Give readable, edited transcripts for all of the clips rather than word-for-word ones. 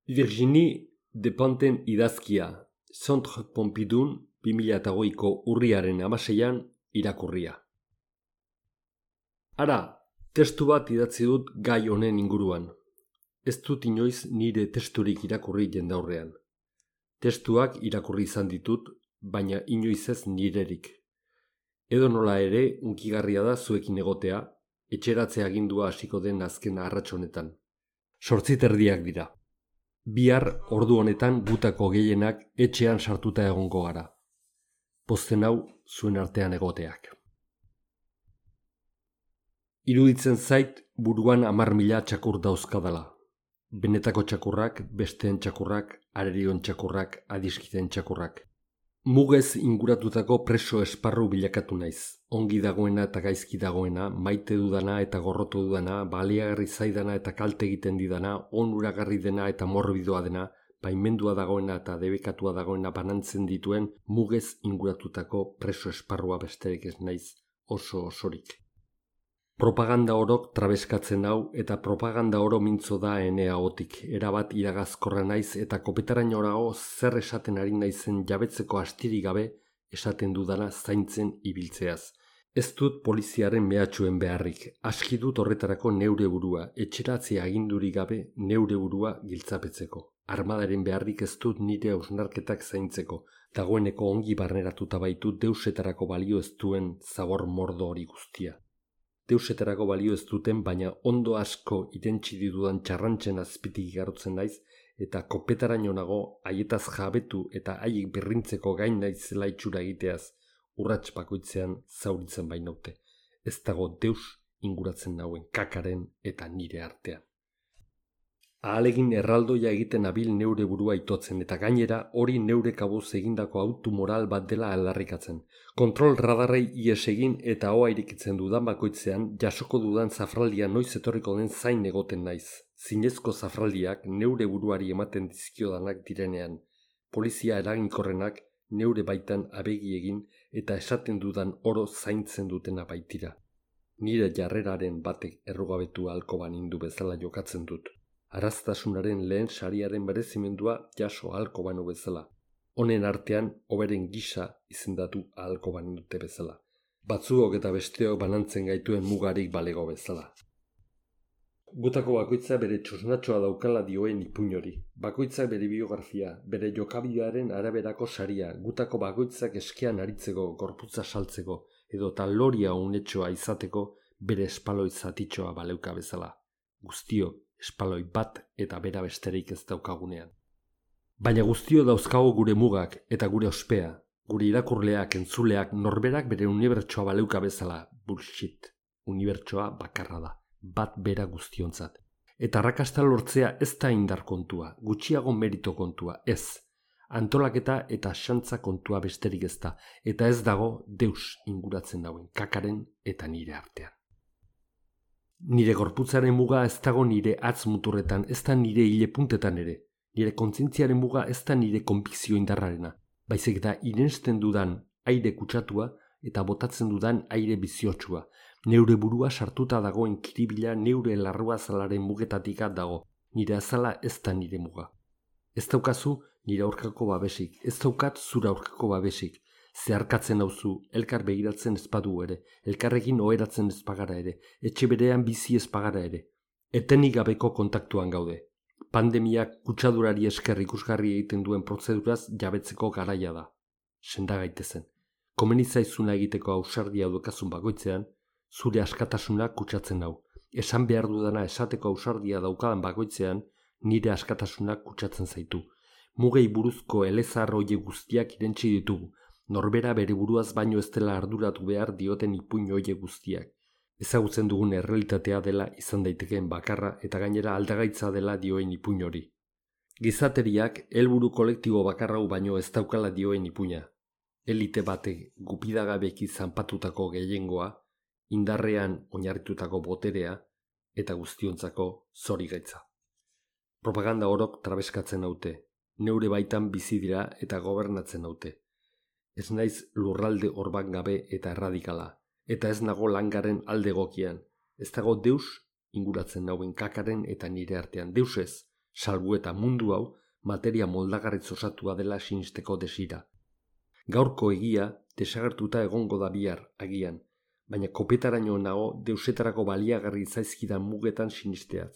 Virginie Despentes idazkia, Centre Pompidou 2008ko urriaren 16an irakurria. Ara, testu bat idatzi dut gai honen inguruan. Ez dut inoiz nire testurik irakurri jendaurrean. Testuak irakurri izan ditut, baina inoiz ez nirerik. Edo nola ere, unkigarria da zuekin egotea, etxeratze agindua hasiko den azken arrats honetan. 8:30 dira. Bihar ordu honetan gutako gehienak etxean sartuta egongo gara. Pozten hau zuen artean egoteak. Iruditzen zait buruan 10.000 txakur dauzkadala. Benetako txakurrak, besteen txakurrak, arerion txakurrak, adiskiden txakurrak. Mugez inguratutako preso esparru bilakatu naiz. Ongi dagoena eta gaizki dagoena, maite dudana eta gorrotu dudana, baliagarri zaidana eta kalte egiten didana, onuragarri dena eta morbidoa dena, baimendua dagoena eta debekatua dagoena banantzen dituen mugez inguratutako preso esparrua besterik ez naiz oso osorik. Propaganda orok trabeskatzen hau eta propaganda oro mintzo da ene ahotik. Erabat iragazkorra naiz eta kopetarainorago zer esaten ari naizen jabetzeko astirik gabe esaten dudana zaintzen ibiltzeaz. Ez dut poliziaren mehatxuen beharrik. Aski dut horretarako neure burua, etxeratze agindurik gabe neure burua giltzapetzeko. Armadaren beharrik ez dut nire hausnarketak zaintzeko. Dagoeneko ongi barneratuta baitu deusetarako balio ez duen zabor mordo hori guztia. Deusetarako balio ez duten, baina ondo asko irentsi ditudan txarrantzen azpitik igarotzen naiz eta kopetaraino nago haietaz jabetu eta haiek berrintzeko gain naizela itxura egiteaz urrats bakoitzean zauritzen bainaute. Ez dago deus inguratzen nauen kakaren eta nire artean. Ahalegin erraldoia egiten abil neure burua itotzen eta gainera hori neure kabuz egindako autu moral bat dela aldarrikatzen. Kontrol radarrei ies egin eta hoa irikitzen dudan bakoitzean jasoko dudan zafraldia noiz etorriko den zain egoten naiz. Zinezko zafraldiak neure buruari ematen dizkiodanak direnean. Polizia eraginkorrenak neure baitan abegi egin eta esaten dudan oro zaintzen dutena baitira. Nire jarreraren batek errugabetu ahalko banindu bezala jokatzen dut. Araztasunaren lehen sariaren berezimendua jaso ahalko banu bezala. Honen artean, hoberen gisa izendatu ahalko banindute bezala. Batzuok eta besteok banantzen gaituen mugarik balego bezala. Gutako bakoitza bere txosnatxoa daukala dioen ipuin hori. Bakoitzak bere biografia, bere jokabidearen araberako saria, gutako bakoitzak eskean aritzeko, gorputza saltzeko, edo taloria unetxoa izateko bere espaloi zatitxoa baleuka bezala. Guztio, espaloi bat eta bera besterik ez daukagunean. Baina guztio dauzkago gure mugak eta gure ospea, gure irakurleak, entzuleak, norberak bere unibertsoa baleuka bezala. Bullshit. Unibertsoa bakarra da, bat bera guztiontzat. Eta arrakasta lortzea ez da indar kontua, gutxiago merito kontua, ez. Antolaketa eta xantza kontua besterik ez da, eta ez dago deus inguratzen dauen kakaren eta nire artean. Nire gorputzaren muga ez dago nire atz muturretan, ez da nire hile puntetan ere. Nire kontzientziaren muga ez da nire konbikzio indarrarena. Baizik da irensten dudan aire kutsatua eta botatzen dudan aire biziotsua. Neure burua sartuta dagoen kiribila neure larrua azalaren mugetatik dago. Nire azala ez da nire muga. Ez daukazu nire aurkako babesik, ez daukat zura aurkako babesik. Zeharkatzen hauzu, elkar begiratzen ezpadu ere, elkarrekin oheratzen ezpagara ere, etxe berean bizi ezpagara ere. Etenik gabeko kontaktuan gaude. Pandemiak kutsadurari esker ikusgarri egiten duen prozeduraz jabetzeko garaia da. Senda gaitezen. Komeni zaizuna egiteko ausardia dukazun bakoitzean, zure askatasuna kutsatzen hau. Esan behar dudana esateko ausardia daukadan bakoitzean, nire askatasuna kutsatzen zaitu. Mugei buruzko elezar hoie guztiak irentsi ditugu. Norbera bere buruaz baino ez dela arduratu behar dioten ipuin hoie guztiak. Ezagutzen dugun errealitatea dela izan daitekeen bakarra eta gainera aldagaitza dela dioen ipuin hori. Gizateriak helburu kolektibo bakarrau baino ez daukala dioen ipuina. Elite batek gupidagabeki zanpatutako gehiengoa, indarrean oinarritutako boterea eta guztiontzako zorigaitza. Propaganda orok trabeskatzen haute, neure baitan bizi dira eta gobernatzen haute. Ez naiz lurralde orban gabe eta erradikala, eta ez nago langaren alde egokian. Ez dago deus inguratzen nauen kakaren eta nire artean. Deus ez, salbu eta mundu hau materia moldagarriz osatua dela sinisteko desira. Gaurko egia desagertuta egongo da bihar agian, baina kopetaraino nago deusetarako baliagarri zaizkidan mugetan sinisteaz.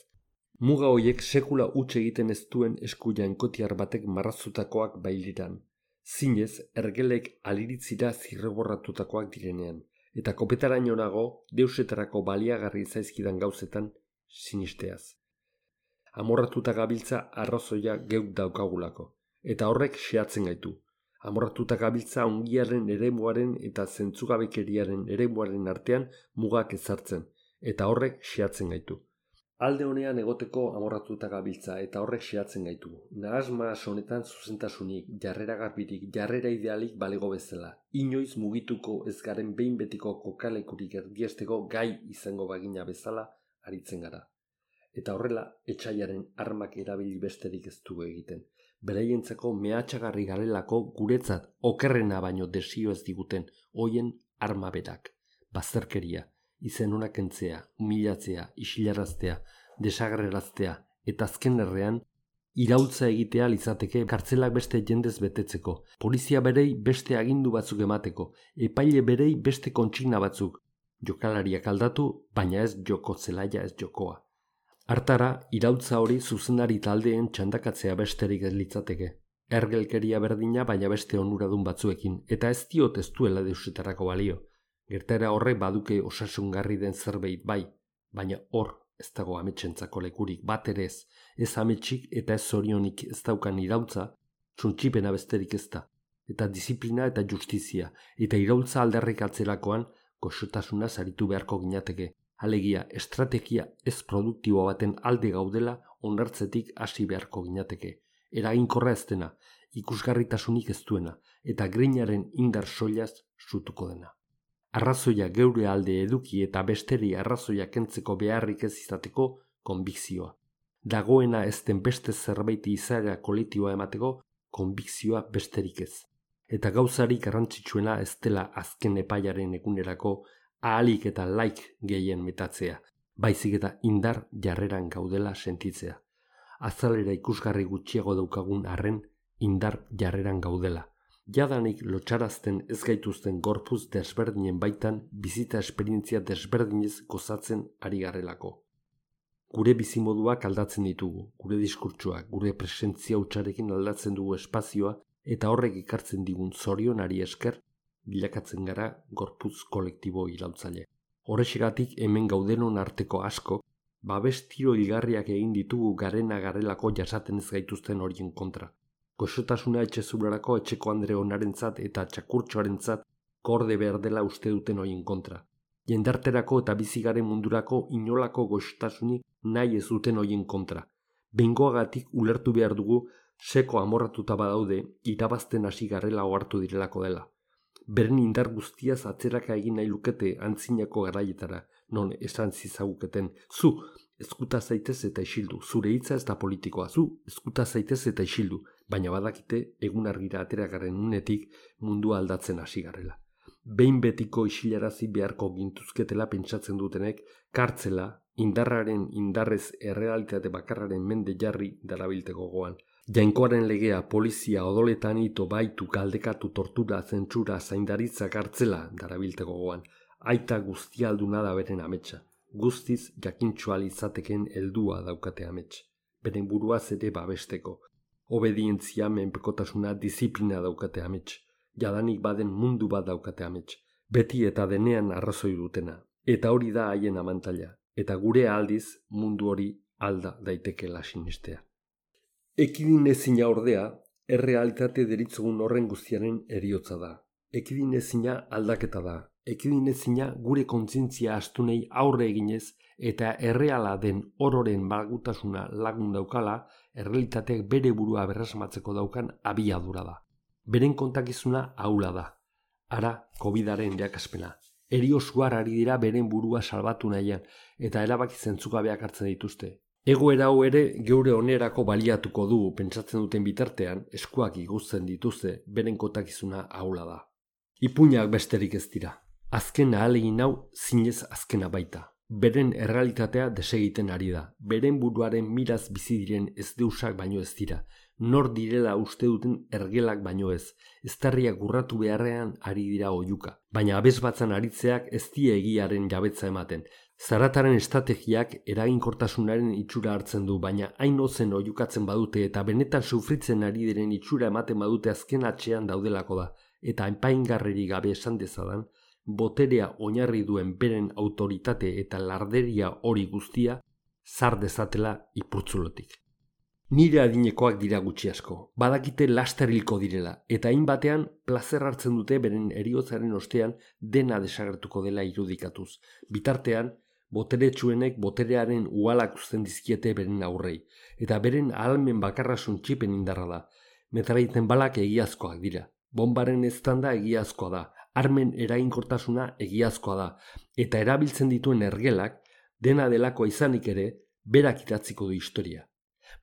Muga hoiek sekula huts egiten ez duen esku jainkotiar batek marraztutakoak bailiran. Zinez, ergelek aliritzira zirreborratutakoak direnean, eta kopetaraino nago deusetarako baliagarri zaizkidan gauzetan sinisteaz. Amorratuta gabiltza arrazoia geuk daukagulako, eta horrek xehatzen gaitu. Amorratuta gabiltza ongiaren eremuaren eta zentzugabekeriaren eremuaren artean mugak ezartzen, eta horrek xehatzen gaitu. Alde honean egoteko amorratuta gabiltza eta horrek xehatzen gaitu. Nahasmas honetan zuzentasunik, jarrera garbirik, jarrera idealik balego bezala. Inoiz mugituko ez garen behin betiko kokalekurik erdiesteko gai izango bagina bezala aritzen gara. Eta horrela, etsaiaren armak erabili besterik ez dugu egiten. Beraientzako mehatxagarri garelako guretzat okerrena baino desio ez diguten hoien arma berak. Bazterkeria, izen ona kentzea, humilatzea, isilaraztea, desagerraraztea eta azken errean iraultza egitea litzateke kartzelak beste jendez betetzeko, polizia berei beste agindu batzuk emateko, epaile berei beste kontsigna batzuk, jokalariak aldatu, baina ez joko zelaia ez jokoa. Hartara, iraultza hori zuzendari taldeen txandakatzea besterik ez litzateke. Ergelkeria berdina baina beste onuradun batzuekin, eta ez diot ez duela deusetarako balio. Gertaera horrek baduke osasungarri den zerbait bai, baina hor ez dago ametsentzako lekurik bat ere ez ametsik eta ez zorionik ez daukan iraultza, txuntxipena besterik ez da, eta disiplina eta justizia, eta iraultza aldarrik atzerakoan goxotasuna saritu beharko ginateke. Alegia, estrategia ez produktibo baten alde gaudela onartzetik hasi beharko ginateke. Eraginkorra ez dena, ikusgarritasunik ez duena, eta grinaren indar soilaz sutuko dena. Arrazoia geure alde eduki eta besteri arrazoia kentzeko beharrik ez izateko konbikzioa. Dagoena ez den beste zerbait izaera kolektiboa emateko konbikzioa besterik ez. Eta gauzarik garrantzitsuena ez dela azken epaiaren egunerako ahalik eta laik gehien metatzea, baizik eta indar jarreran gaudela sentitzea. Azalera ikusgarri gutxiago daukagun arren indar jarreran gaudela. Jadanik lotxarazten ez gaituzten gorpuz desberdinen baitan bizita esperientzia desberdinez gozatzen ari garelako. Gure bizimoduak aldatzen ditugu, gure diskurtsoak, gure presentzia hutsarekin aldatzen dugu espazioa eta horrek ekartzen digun zorionari esker bilakatzen gara gorputz kolektibo iraultzaile. Horrexegatik hemen gaudenon arteko asko, babes tiro hilgarriak egin ditugu garena garelako jasaten ez gaituzten horien kontra. Goxotasuna etxezurarako etxeko andre onarentzat eta txakurtxoarentzat gorde behar dela uste duten horien kontra. Jendarterako eta bizigaren mundurako inolako goxotasunik nahi ez duten horien kontra. Behingoagatik ulertu behar dugu seko amorratuta badaude irabazten hasi garela ohartu direlako dela. Beren indar guztiaz atzeraka egin nahi lukete antzinako garaietara, non esan zizaguketen, zu, eskuta zaitez eta isildu, zure hitza ez da politikoa, zu, eskuta zaitez eta isildu, baina badakite egun argira ateragaren unetik mundua aldatzen hasi garela. Behin betiko isilarazi beharko gintuzketela pentsatzen dutenek, kartzela, indarraren indarrez errealitate bakarraren mende jarri darabilteko gogoan. Jainkoaren legea, polizia, odoletan ito, baitu, galdekatu, tortura, zentsura, zaindaritza, kartzela darabilteko gogoan. Aita guztialduna da beren ametsa. Guztiz jakintxoal izateken heldua daukate amets. Beren buruaz ere babesteko. Obedientzia, menpekotasuna, disiplina daukate amets. Jadanik baden mundu bat daukate amets. Beti eta denean arrazoi dutena. Eta hori da haien amantaila. Eta gure aldiz mundu hori alda daitekela sinistea. Ekidinezina ordea, errealitate deritzogun horren guztiaren heriotza da. Ekidinezina aldaketa da. Ekidinezina gure kontzientzia astunei aurre eginez eta erreala den ororen balgutasuna lagun daukala, errealitateak bere burua berresmatzeko daukan abiadura da. Beren kontakizuna ahula da. Ara, COVID-aren jakaspena. Eriosuar ari dira beren burua salbatu nahian eta erabaki zentzugabeak hartzen dituzte. Egoera hau ere geure onerako baliatuko du pentsatzen duten bitartean eskuak iguzten dituzte beren kontakizuna ahula da. Ipuinak besterik ez dira. Azken ahalegin hau zinez azkena baita. Beren errealitatea desegiten ari da. Beren buruaren miraz bizi diren ez deusak baino ez dira. Nor direla uste duten ergelak baino ez. Eztarriak urratu beharrean ari dira oihuka. Baina abesbatzan aritzeak ez die egiaren jabetza ematen. Zarataren estrategiak eraginkortasunaren itxura hartzen du, baina hain ozen oihukatzen badute eta benetan sufritzen ari diren itxura ematen badute azken atxean daudelako da. Eta enpaingarririk gabe esan dezadan, boterea oinarri duen beren autoritate eta larderia hori guztia zar dezatela ipurtzulotik. Nire adinekoak dira gutxi asko, badakite laster hilko direla, eta hainbatean plazer hartzen dute beren heriotzaren ostean dena desagertuko dela irudikatuz. Bitartean, boteretsuenek boterearen uhalak uzten dizkiete beren aurrei, eta beren ahalmen bakarra suntsipen indarra da. Metraliten balak egiazkoak dira, bombaren eztanda egiazkoa da, armen eraginkortasuna egiazkoa da, eta erabiltzen dituen ergelak, dena delakoa izanik ere, berak idatziko du historia.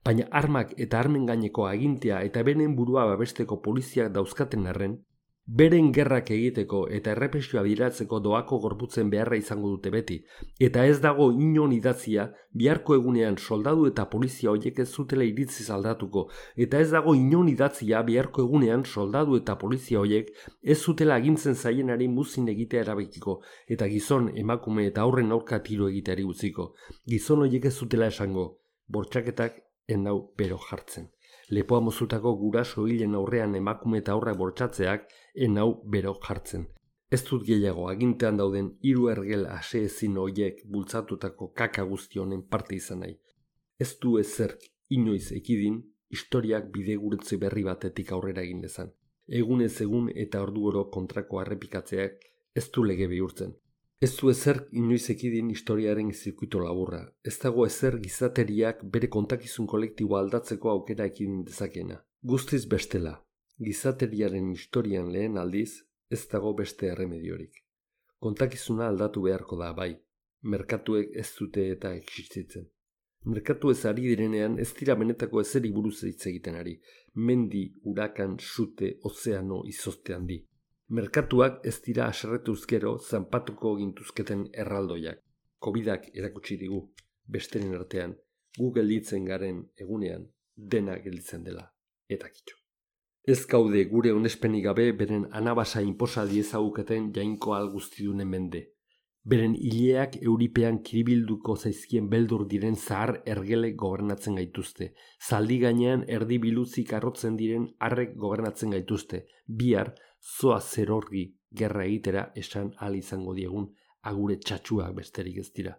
Baina armak eta armen gaineko agintea eta beren burua babesteko poliziak dauzkaten arren, beren gerrak egiteko eta errepresioa bideratzeko doako gorputzen beharra izango dute beti, eta ez dago inon idatzia biharko egunean soldadu eta polizia horiek ez zutela iritziz aldatuko, eta ez dago inon idatzia biharko egunean soldadu eta polizia horiek ez zutela agintzen zaienari muzin egitea erabakiko, eta gizon, emakume eta aurren aurka tiro egiteari utziko. Gizon horiek ez zutela esango, bortxaketak enau bero jartzen. Lepoa mozutako guraso hilen aurrean emakume eta aurrak bortxatzeak enau bero jartzen. Ez dut gehiago agintean dauden 3 ergel ase ezin horiek bultzatutako kaka guzti honen parte izan nahi. Ez du ezerk inoiz ekidin historiak bidegurutze berri batetik aurrera egin dezan. Egunez egun eta orduoro kontrako errepikatzeak ez du lege bihurtzen. Ez du ezer inoiz ekidin historiaren zirkuito laburra. Ez dago ezer gizateriak bere kontakizun kolektiboa aldatzeko aukera ekidin dezakena. Guztiz bestela, gizateriaren historian lehen aldiz, ez dago beste erremediorik. Kontakizuna aldatu beharko da, bai. Merkatuek ez dute eta existitzen. Merkatu ez ari direnean ez dira benetako ezeri buruz hitz egiten ari. Mendi, urakan, sute, ozeano, izozte handi. Merkatuak ez dira haserretuz gero zanpatuko gintuzketen erraldoiak. Covidak erakutsi digu, besteren artean, gu gelditzen garen egunean, dena gelditzen dela, eta kitxo. Ez gaude gure onespenik gabe beren anabasa inposa diezaguketen jainko guztidunen mende. Beren hileak euripean kiribilduko zaizkien beldur diren zahar ergelek gobernatzen gaituzte. Zaldi gainean erdi biluzik arrotzen diren arrek gobernatzen gaituzte. Bihar, zoa zerorgi gerra egitera esan ahal izango diegun agure txatxuak besterik ez dira.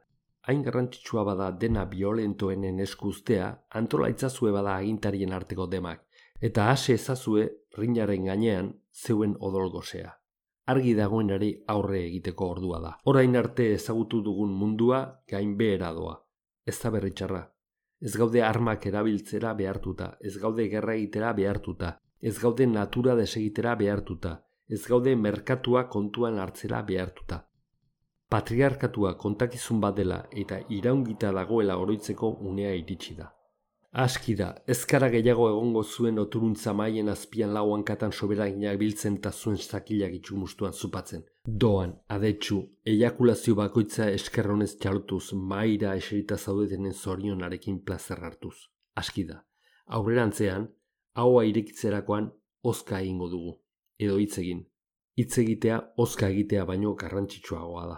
Hain garrantzitsua bada dena biolentoenen esku uztea, antola itzazue bada agintarien arteko demak, eta ase ezazue rinaren gainean zeuen odol gozea. Argi dagoenari aurre egiteko ordua da. Orain arte ezagutu dugun mundua gainbehera doa. Ez da berritxarra. Ez gaude armak erabiltzera behartuta, ez gaude gerra egitera behartuta, ez gaude natura desegitera behartuta, ez gaude merkatua kontuan hartzera behartuta. Patriarkatua kontakizun bat dela eta iraungita dagoela oroitzeko unea iritsi da. Aski da, ezkara gehiago egongo zuen oturuntza maien azpian lau hankatan soberaginak biltzen eta zuen sakilak itxumustuan zupatzen. Doan, adetxu, eiakulazio bakoitza eskerronez txalotuz, maira eserita zaudetenen zorionarekin plazer hartuz. Aski da, aurrerantzean, haua irekitzerakoan ozka egingo dugu. Edo hitz egin. Hitz egitea ozka egitea baino garrantzitsuagoa da.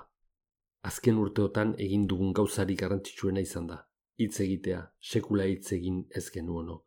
Azken urteotan egin dugun gauzarik garrantzitsuena izan da. Hitz egitea, sekula hitz egin ez genuonok.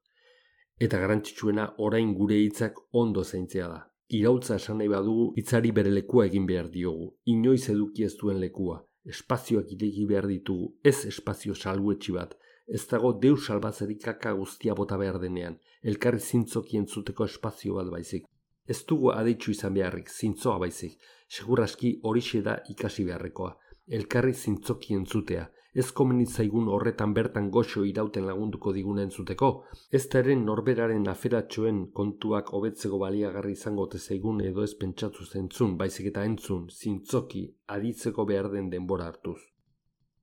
Eta garrantzitsuena orain gure hitzak ondo zaintzea da. Iraultza esan nahi badugu hitzari bere lekua egin behar diogu. Inoiz eduki ez duen lekua. Espazioak ireki behar ditugu, ez espazio salbuetxi bat. Ez dago deus salbatzerik kaka guztia bota behar denean. Elkarri zintzoki entzuteko espazio bat baizik. Ez dugu aditxu izan beharrik, zintzoa baizik. Seguraski horixe da ikasi beharrekoa. Elkarri zintzoki entzutea. Ez komenitzaigun horretan bertan goxo irauten lagunduko diguna entzuteko. Ez da eren norberaren aferatxoen kontuak hobetzeko baliagarri izango zaigun edo ez pentsatu zentzun, baizik eta entzun, zintzoki, aditzeko behar den denbora hartuz.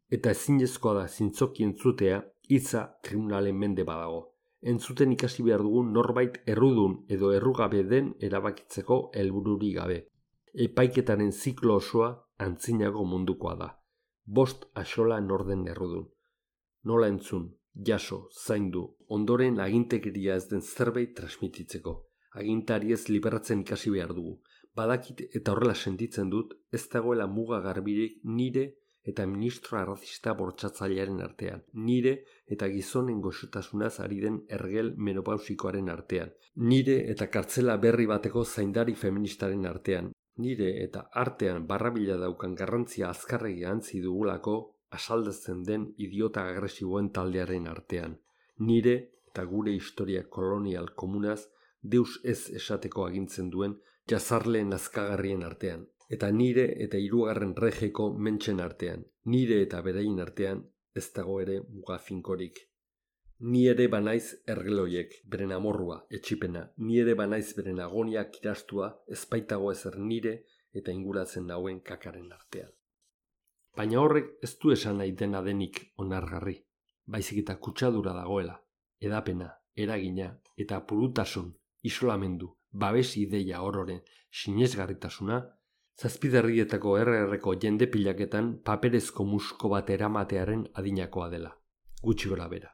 Eta ezinezkoa da zintzoki entzutea, hitza tribunalen mende badago. Entzuten ikasi behar dugun norbait errudun edo errugabe den erabakitzeko helbururi gabe. Epaiketaren ziklo osoa antzinago mundukoa da. 5 axola norden errudun. Nola entzun, jaso, zaindu, ondoren agintekeria ez den zerbait transmititzeko. Agintariez liberatzen ikasi behar dugu. Badakit eta horrela sentitzen dut, ez dagoela muga garbirik nire eta ministro arrazista bortxatzailearen artean, nire eta gizonen goxotasunaz ari den ergel menopausikoaren artean, nire eta kartzela berri bateko zaindari feministaren artean, nire eta artean barrabila daukan garrantzia azkarregi antzi dugulako asaldatzen den idiota agresiboen taldearen artean, nire eta gure historia kolonial komunaz deus ez esateko agintzen duen jazarleen azkagarrien artean, eta nire eta 3. regeko mentxen artean, nire eta beraien artean ez dago ere muga finkorik. Ni ere banaiz ergeloiek, beren amorrua, etxipena, ni ere banaiz beren agoniak irastua, ezpaitago ezer nire eta inguratzen nauen kakaren artean. Baina horrek ez du esan nahi dena denik onargarri, baizik eta kutsadura dagoela, edapena, eragina eta purutasun, isolamendu, babes ideia ororen sinesgarritasuna, zazpiderrietako RR-ko jende pilaketan paperezko musko bat eramatearen adinakoa dela. Gutxi gora bera.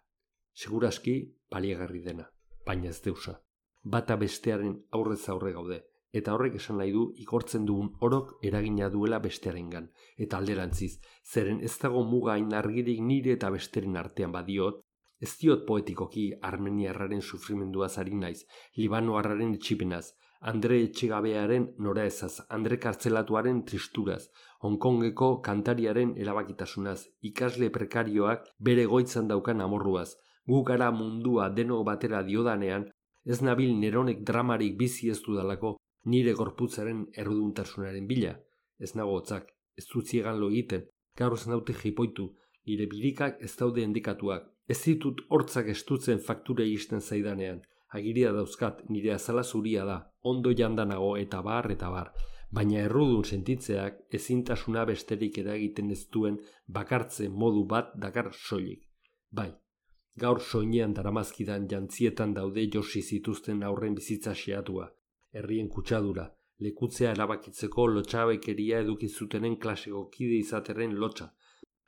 Segurazki baliagarri dena, baina ez deusa. Bata bestearen aurrez aurre gaude, eta horrek esan nahi du igortzen dugun orok eragina duela bestearengan, eta alderantziz, zeren ez dago muga hain argirik nire eta besteren artean badiot, ez diot poetikoki armeniarraren sufrimenduaz ari naiz, libanoarraren etxipenaz, Andre etxegabearen noraezaz, Andre kartzelatuaren tristuraz, Hongkongeko kantariaren erabakitasunaz, ikasle prekarioak bere goitzan daukan amorruaz, gu gara mundua denok batera diodanean, ez nabil neronek dramarik bizi ez dudalako, nire gorputzaren erruduntasunaren bila, ez nago hotzak, ez dut ziegan lo egiten, gaur ez naute jipoitu, nire birikak ez daude endikatuak, ez ditut hortzak estutzen faktura iristen zaidanean, agiria dauzkat, nire azala zuria da, ondo jandanago eta bar, baina errudun sentitzeak ezintasuna besterik eragiten ez duen bakartze modu bat dakar soilik. Bai, gaur soinean daramazkidan jantzietan daude josi zituzten aurren bizitza xeatua, herrien kutsadura, lekutzea erabakitzeko lotxabekeria eduki zutenen klaseko kide izateren lotxa.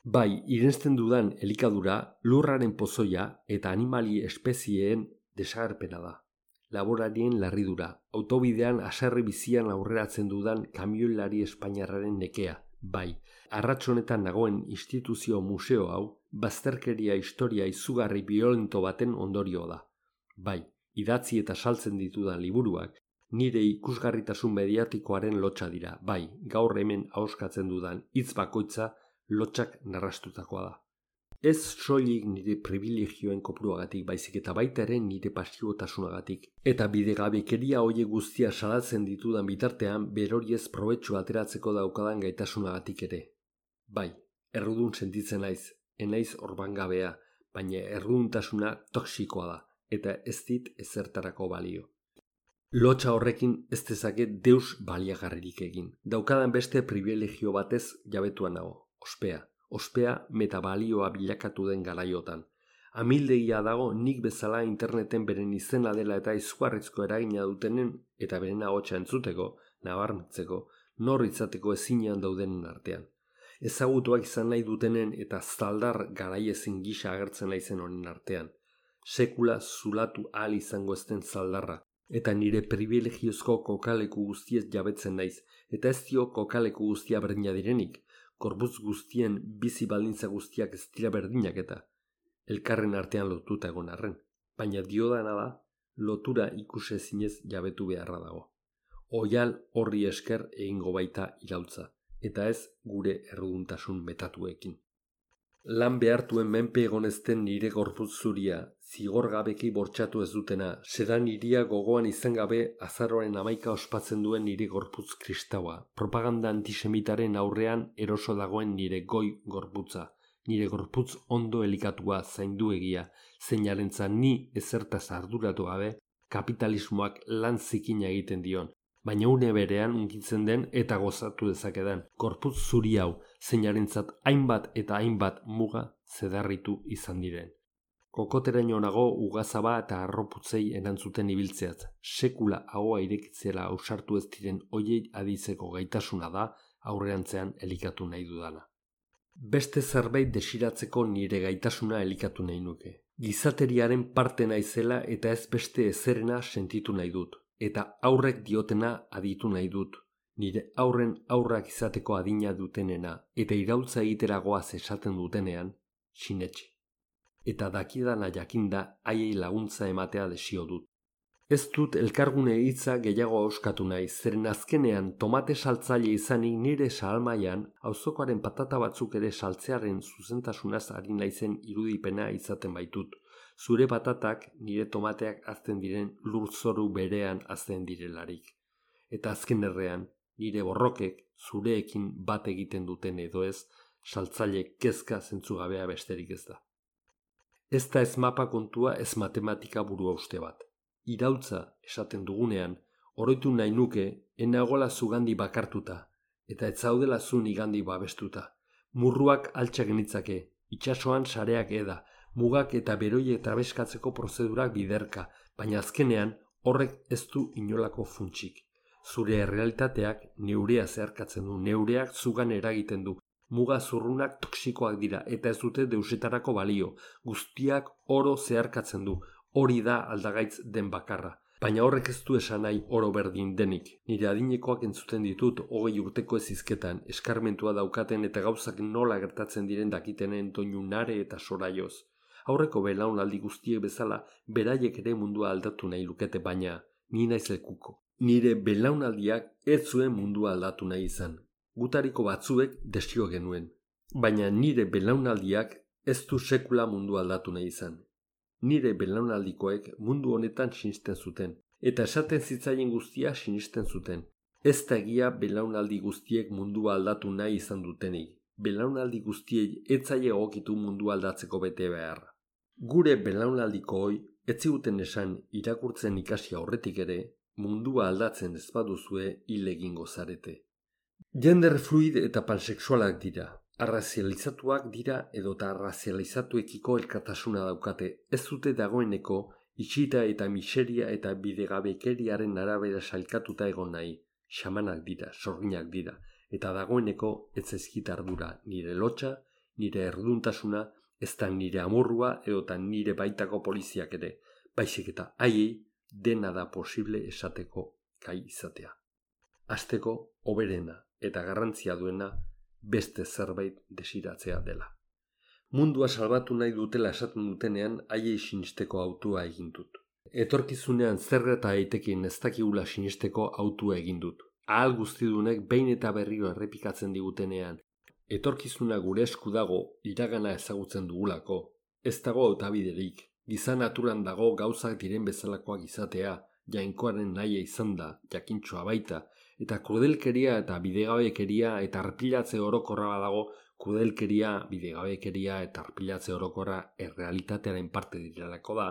Bai, irensten dudan elikadura, lurraren pozoia eta animali espezieen desagerpena da. Laborarien larridura, autobidean haserre bizian aurreratzen dudan kamioilari espainiarraren nekea. Bai, arratsonetan nagoen instituzio museo hau, bazterkeria historia izugarri biolento baten ondorio da. Bai, idatzi eta saltzen ditudan liburuak, nire ikusgarritasun mediatikoaren lotxa dira. Bai, gaur hemen ahoskatzen dudan hitz bakoitza lotxak narrastutakoa da. Ez soilik nire privilegioen kopuruagatik, baizik eta baita ere nire pasiotasunagatik. Eta bidegabekeria hoiek guztia salatzen ditudan bitartean beroriez probetxu ateratzeko daukadan gaitasunagatik ere. Bai, errudun sentitzen naiz, enaiz orbangabea, baina erruduntasuna toxikoa da, eta ez dit ezertarako balio. Lotxa horrekin ez dezaket deus baliagarririk egin. Daukadan beste privilegio batez jabetuan nago, ospea metabalioa bilakatu den garaiotan. Amildegia dago nik bezala interneten beren izena dela eta izugarrizko eragina dutenen eta beren ahotsa entzuteko, nabarmentzeko, nor izateko ezinean daudenen artean. Ezagutuak izan nahi dutenen eta zaldar garaiezin gisa agertzen naizen honen artean. Sekula zulatu ahal izango ezten zaldarra, eta nire privilegiozko kokaleku guztiez jabetzen naiz, eta ez dio kokaleku guztia berdina direnik, korbutz guztien bizi baldintza guztiak ez dira berdinak eta elkarren artean lotuta egon arren, baina diodana da lotura ikusezinez jabetu beharra dago. Oial horri esker egingo baita iraultza, eta ez gure erruduntasun metatuekin. Lan behartuen menpe egonezten nire gorputz zuria, zigor gabeki bortxatu ez dutena, sedan iria gogoan izan gabe azaroaren 11 ospatzen duen nire gorputz kristaua, propaganda antisemitaren aurrean eroso dagoen nire goi gorputza, nire gorputz ondo elikatua zainduegia, zeinarentza ni ezertaz arduratu gabe, kapitalismoak lan zikina egiten dion, baina une berean unkitzen den eta gozatu dezakedan, gorputz zuri hau, zeinarentzat hainbat eta hainbat muga zedarritu izan diren. Kokoteraino nago ugazaba eta arroputzei erantzuten ibiltzeaz, sekula ahoa irekitzera ausartu ez diren hoiei aditzeko gaitasuna da aurrerantzean elikatu nahi dudana. Beste zerbait desiratzeko nire gaitasuna elikatu nahi nuke. Gizateriaren parte naizela eta ez beste ezerena sentitu nahi dut. Eta aurrek diotena aditu nahi dut. Nire aurren aurrak izateko adina dutenena eta iraultza egiteragoaz esaten dutenean, sinetxe. Eta dakidana jakinda haiei laguntza ematea desio dut. Ez dut elkargune hitza gehiago auskatu nahi, zeren azkenean tomate saltzaile izanik nire sahalmaian auzokoaren patata batzuk ere saltzearen zuzentasunaz ari naizen irudipena izaten baitut. Zure patatak nire tomateak hazten diren lurzoru berean hazten direlarik. Eta azken errean, nire borrokek zureekin bat egiten duten edo ez, saltzaile kezka zentzugabea besterik ez da. Ez da ez mapa kontua, ez matematika burua uste bat. Iraultza esaten dugunean, oroitu nahi nuke enagola zugandi bakartuta, eta ez zaudela zu nigandi babestuta. Murruak altxa genitzake, itsasoan sareak eda, mugak eta beroi eta beskatzeko prozedurak biderka, baina azkenean horrek ez du inolako funtsik. Zure errealitateak neurea zeharkatzen du, neureak zugan eragiten du, muga zurrunak toksikoak dira eta ez dute deusetarako balio, guztiak oro zeharkatzen du. Hori da aldagaitz den bakarra. Baina horrek ez du esan nahi oro berdin denik. Nire adinekoak entzuten ditut 20 urteko ezizketan, eskarmentua daukaten eta gauzak nola gertatzen diren dakitenen doinu nare eta soraioz. Aurreko belaunaldi guztiek bezala, beraiek ere mundua aldatu nahi lukete, baina ni naiz lekuko. Nire belaunaldiak ez zuen mundua aldatu nahi izan. Gutariko batzuek desio genuen. Baina nire belaunaldiak ez du sekula mundua aldatu nahi izan. Nire belaunaldikoek mundu honetan sinisten zuten, eta esaten zitzaien guztia sinisten zuten. Ez da egia belaunaldi guztiek mundua aldatu nahi izan dutenik. Belaunaldi guztiei ez zaie egokitu mundua aldatzeko bete beharra. Gure belaunaldikooi ez ziguten esan irakurtzen ikasi aurretik ere, mundua aldatzen ez baduzue hil egingo zarete. Gender fluid eta pansexualak dira. Arrazializatuak dira edota arrazializatuekiko elkartasuna daukate, ez dute dagoeneko itxita eta miseria eta bidegabekeriaren arabera sailkatuta egon nahi. Xamanak dira, sorginak dira, eta dagoeneko ez zaizkit ardura nire lotxa, nire erduntasuna, ez da nire amorrua edota nire baitako poliziak ere, baizik eta haiei dena da posible esateko gai izatea. Hasteko hoberena eta garrantzia duena beste zerbait desiratzea dela. Mundua salbatu nahi dutela esaten dutenean haiei sinisteko hautua egin dut. Etorkizunean zer gerta daitekeen ez dakigula sinisteko hautua egin dut. Ahal guztidunek behin eta berriro errepikatzen digutenean, etorkizuna gure esku dago iragana ezagutzen dugulako. Ez dago hautabiderik, giza naturan dago gauzak diren bezalakoak izatea, jainkoaren nahia izan da, jakintxoa baita, eta krudelkeria eta bidegabekeria eta arpilatze orokorra badago, krudelkeria, bidegabekeria eta arpilatze orokorra errealitatearen parte direlako da,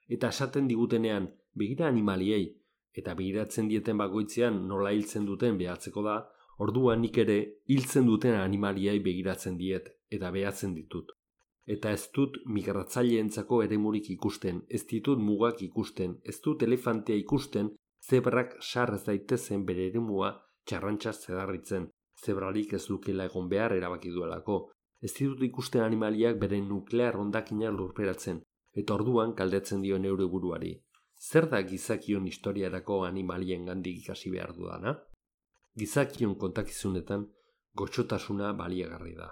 eta esaten digutenean begira animaliei, eta begiratzen dieten bakoitzean nola hiltzen duten behatzeko da, orduan nik ere hiltzen duten animaliei begiratzen diet eta behatzen ditut. Eta ez dut migratzaileentzako eremurik ikusten, ez ditut mugak ikusten, ez dut elefantea ikusten, zebrak sar ez daitezen bere eremua txarrantxaz zedarritzen, zebrarik ez dukela egon behar erabaki duelako. Ez ditut ikusten animaliak bere nuklear hondakina lurperatzen, eta orduan galdetzen dio neure buruari. Zer da gizakion historiarako animalien gandik ikasi behar dudana? Gizakion kontakizunetan goxotasuna baliagarri da.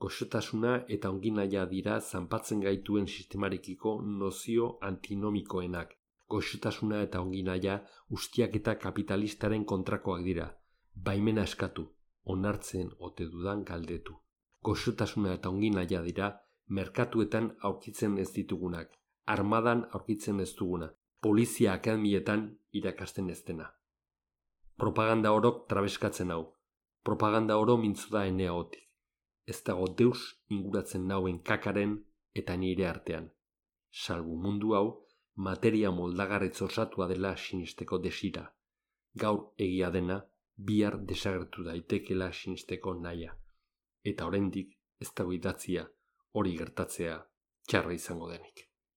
Goxotasuna eta onginaia dira zanpatzen gaituen sistemarekiko nozio antinomikoenak. Goxotasuna eta onginaia ustiak eta kapitalistaren kontrakoak dira. Baimena eskatu, onartzen ote dudan galdetu. Goxotasuna eta onginaia dira merkatuetan aurkitzen ez ditugunak, armadan aurkitzen ez duguna, polizia akademietan irakasten ez dena. Propaganda orok trabeskatzen hau. Propaganda oro mintzu da eneagotik. Ez dago deus inguratzen nauen kakaren eta nire artean. Salbu mundu hau, materia moldagarretz osatua dela sinisteko desira. Gaur egia dena, bihar desagertu daitekela sinisteko nahia. Eta oraindik ez dago idatzia hori gertatzea txarra izango denik.